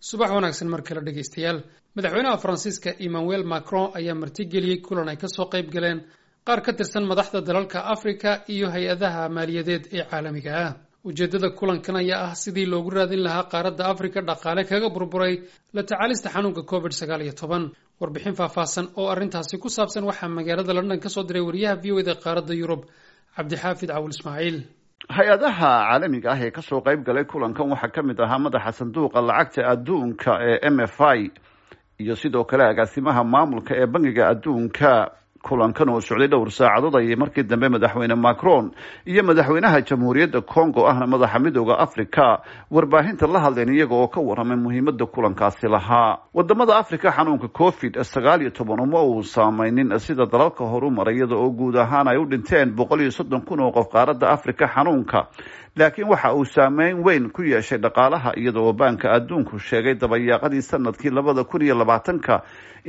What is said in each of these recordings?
Subax wanaagsan mar kale, dhegeystayaal. Madaxweynaha Faransiiska Emmanuel Macron ayaa martigeliyey kulan ay kasoo qayb galeen qaar ka tirsan madaxda dalalka Afrika iyo hay-adaha maaliyadeed ee caalamiga ah. Ujeeddada kulankan ayaa ah sidii loogu raadin lahaa qaaradda Afrika dhaqaale kaga burburay la tacaalista xanuunka COVID-19. Warbixin faahfaahsan oo arrintaasi ku saabsan waxaa magaalada London kasoo diray wariyaha VOA da qaaradda Yurub, Cabdixaafid Cawul Ismaaciil. Hay-adaha caalamiga ah ee kasoo qayb galay kulankan waxaa ka mid ahaa madaxa Sanduuqa Lacagta Adduunka ee MFI iyo sidoo kale agaasimaha maamulka ee Bangiga Adduunka. Kulankan oo socday dhowr saacadood ayay markii dambe Madaxweyne Macron iyo madaxweynaha Jamhuuriyadda Congo, ahna madaxa Midooda Africa, warbaahinta la hadleen, iyaga oo ka waramay muhiimada kulankaasi lahaa. Wadamada Africa xanuunka COVID-19 uma uu saameynin sida dalalka horumaray, iyada oo guud ahaan ay u dhinteen 130,000 oo qof qaaradda Africa xanuunka, laakiin waxa uu saameyn weyn ku yeeshay dhaqaalaha, iyada oo Baanka Adduunku sheegay dabayaaqadii sanadkii 2020-ka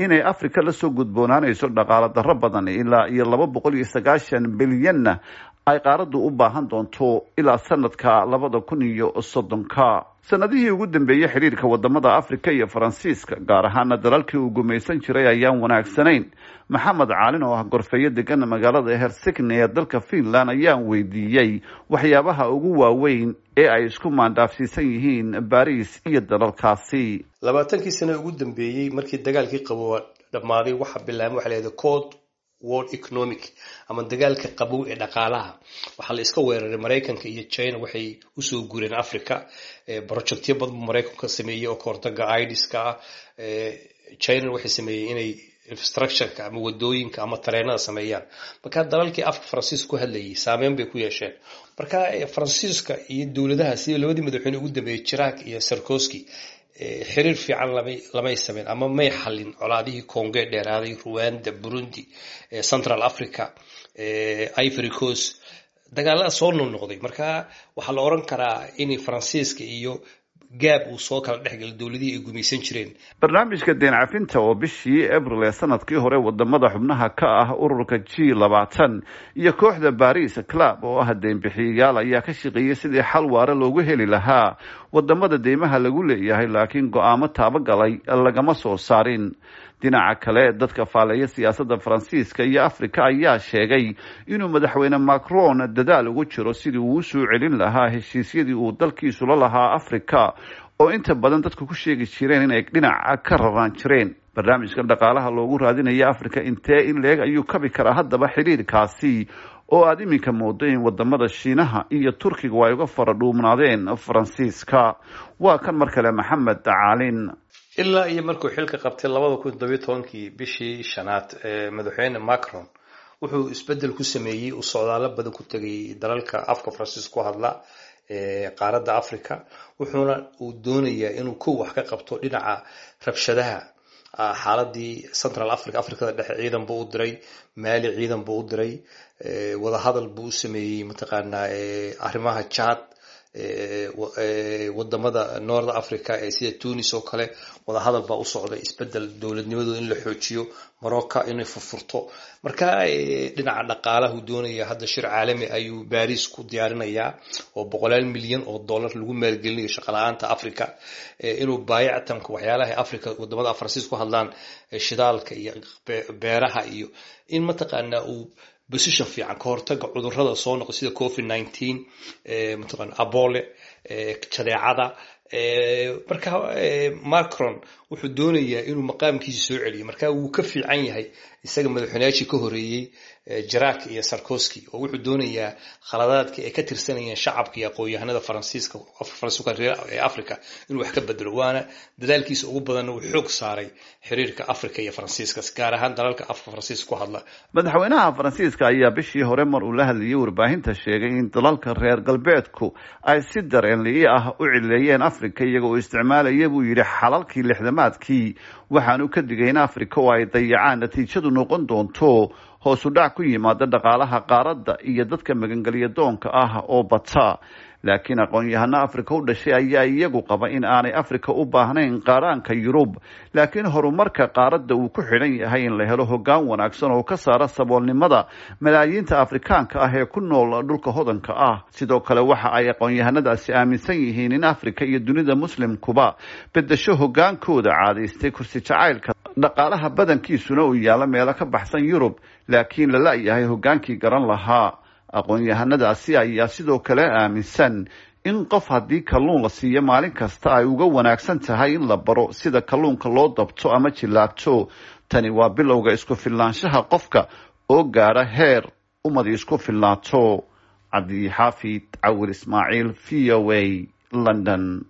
inay Africa lasoo gudboonaanayso dhaqaalo darro badan, ilaa iyo 290 bilyanna ay qaaraddu u baahan doonto ilaa sanadka 2030-ka. Sanadihii ugu dambeeyey xiriirka wadamada Africa iyo Faransiiska, gaar ahaana dalalkii uu gumaysan jiray, ayaan wanaagsanayn. Maxamed Caalin oo ah gorfeeyo degan magaalada Helsinki ee dalka Finland ayaan weydiiyey waxyaabaha ugu waaweyn ee ay isku maandhaafsiisan yihiin Baris iyo dalalkaasi. 20-kii sano ugu dambeeyey, markii dagaalkii Qabow dhammaaday, waxaa bilaabmay waxa la yidhahda Cold War economic ama dagaalka qabow ee dhaqaalaha. Waxaa la iska weeraray Maraykanka iyo China. Waxay usoo guureen Africa. Projectyo badan buu Maraykanku ka sameeyey oo kahortaga idiska ah. China waxay sameeyey inay infrastructureka ama wadooyinka ama tareenada sameeyaan. Marka dalalkii afka Faransiiska ku hadlayay saameyn bay ku yeesheen. Marka Faransiiska iyo dowladaha, sida labadii madaxweyne ugu dambeeyey, Chirac iyo Sarkozy, xiriir fiican lamay sameyn ama may xalin colaadihii Congo ee dheeraaday, Rwanda, Burundi, Central Africa, Ivory Coast, dagaalada soo noqnoqday. Marka waxaa la oran karaa in Faransiiska iyo gaab uu soo kala dhexgalay dowladihii ay gumaysan jireen. Barnaamijka deen cafinta oo bishii Abril ee sanadkii hore wadamada xubnaha ka ah ururka G20 iyo kooxda Paris Club oo ah deynbixiyayaal ayaa ka shaqeeyey sidii xal waare loogu heli lahaa wadamada deymaha lagu leeyahay, laakiin go-aamo taabagalay lagama soo saarin. Dhinaca kale, dadka faaleeya siyaasadda Faransiiska iyo Africa ayaa sheegay inuu Madaxweyne Macron dadaal ugu jiro sidii uu usoo celin lahaa heshiisyadii uu dalkiisu la lahaa Africa, oo inta badan dadku ku sheegi jireen inay dhinaca ka raraan jireen. Barnaamijkan dhaqaalaha loogu raadinaya Africa intee in leeg ayuu kabi karaa haddaba xiriirkaasi, oo aada iminka moodo in wadamada Shiinaha iyo Turkiga ay uga fara dhuumnaadeen Faransiiska? Waa kan mar kale Maxamed Caalin. Ilaa iyo markuu xilka qabtay 2017-kii bishii shanaad, madaxweyne Macron wuxuu isbedel ku sameeyey, uu socdaalo badan ku tegay dalalka afka Faransiiska ku hadla qaaradda Africa. Wuxuuna uu doonayaa inuu kow wax ka qabto dhinaca rabshadaha, xaaladii Central Africa, Africada Dhexe. Ciidan buu u diray Maali, ciidan buu u diray, wadahadal buu u sameeyey mataqaanaa arrimaha Chad, wadamada North Africa ee sida Tunis oo kale wadahadal baa u socda, isbedel dowladnimadooda in la xoojiyo, Morocco inay furfurto. Marka dhinaca dhaqaalahu doonaya, hadda shir caalami ayuu Baris ku diyaarinayaa oo boqolaal milyan oo dollar lagu maalgelinayo shaqala-aanta Africa, inuu baayactamka waxyaalaha Africa, wadamada Faransiis ku hadlaan, shidaalka iyo beeraha, iyo in mataqaanaa uu position fiican ka hortaga cudurrada soo noqda sida COVID-19, mataqaana Ebola, jadeecada. Marka Macron wuxuu doonayaa inuu maqaamkiisa soo celiyo. Marka wuu ka fiican yahay isaga madaxweynayaashii ka horeeyey, Chirac iyo Sarkozy, oo wuxuu doonayaa khaladaadka ay ka tirsanayeen shacabka iyo aqoon-yahanada Faransiiska, Faransiiska ee Africa, inuu wax ka bedelo. Waana dadaalkiisa ugu badanna uu xoog saaray xiriirka Africa iyo Faransiiska, gaar ahaan dalalka afka Faransiiska ku hadla. Madaxweynaha Faransiiska ayaa bishii hore mar uu la hadlayay warbaahinta sheegay in dalalka reer galbeedku ay si dareenli ah u cileeyeen Africa, iyaga oo isticmaalaya, buu yidhi, xalalkii lixdamaadkii. Waxaanu ka digay in Africa oo ay dayacaan natiijadu noqon doonto Hoosu dhac ku yimaada dhaqaalaha qaaradda iyo dadka magangelya doonka ah oo bata. Laakiin aqoon-yahano Afrika u dhashay ayaa iyagu qaba in aanay Afrika u baahnayn qaaraanka Yurub, laakiin horumarka qaaradda uu ku xidhan yahay in la helo hoggaan wanaagsan oo ka saara saboolnimada malaayiinta Afrikaanka ah ee ku nool dhulka hodanka ah. Sidoo kale waxa ay aqoon-yahanadaasi aaminsan yihiin in Afrika iyo dunida Muslimkuba bedesho hoggaankooda caadaystay kursi jacaylka, dhaqaalaha badankiisuna uu yaalo meelo ka baxsan Yurub, laakiin la la-yahay hoggaankii garan lahaa. Aqoon-yahanadaasi ayaa sidoo kale aaminsan in qof haddii kalluun la siiyo maalin kasta ay uga wanaagsan tahay in la baro sida kalluunka loo dabto ama jillaabto. Tani waa bilowga isku filnaanshaha qofka oo gaadha heer ummadi isku filnaato. Cabdixaafid Cawir Ismaaciil, VOA, London.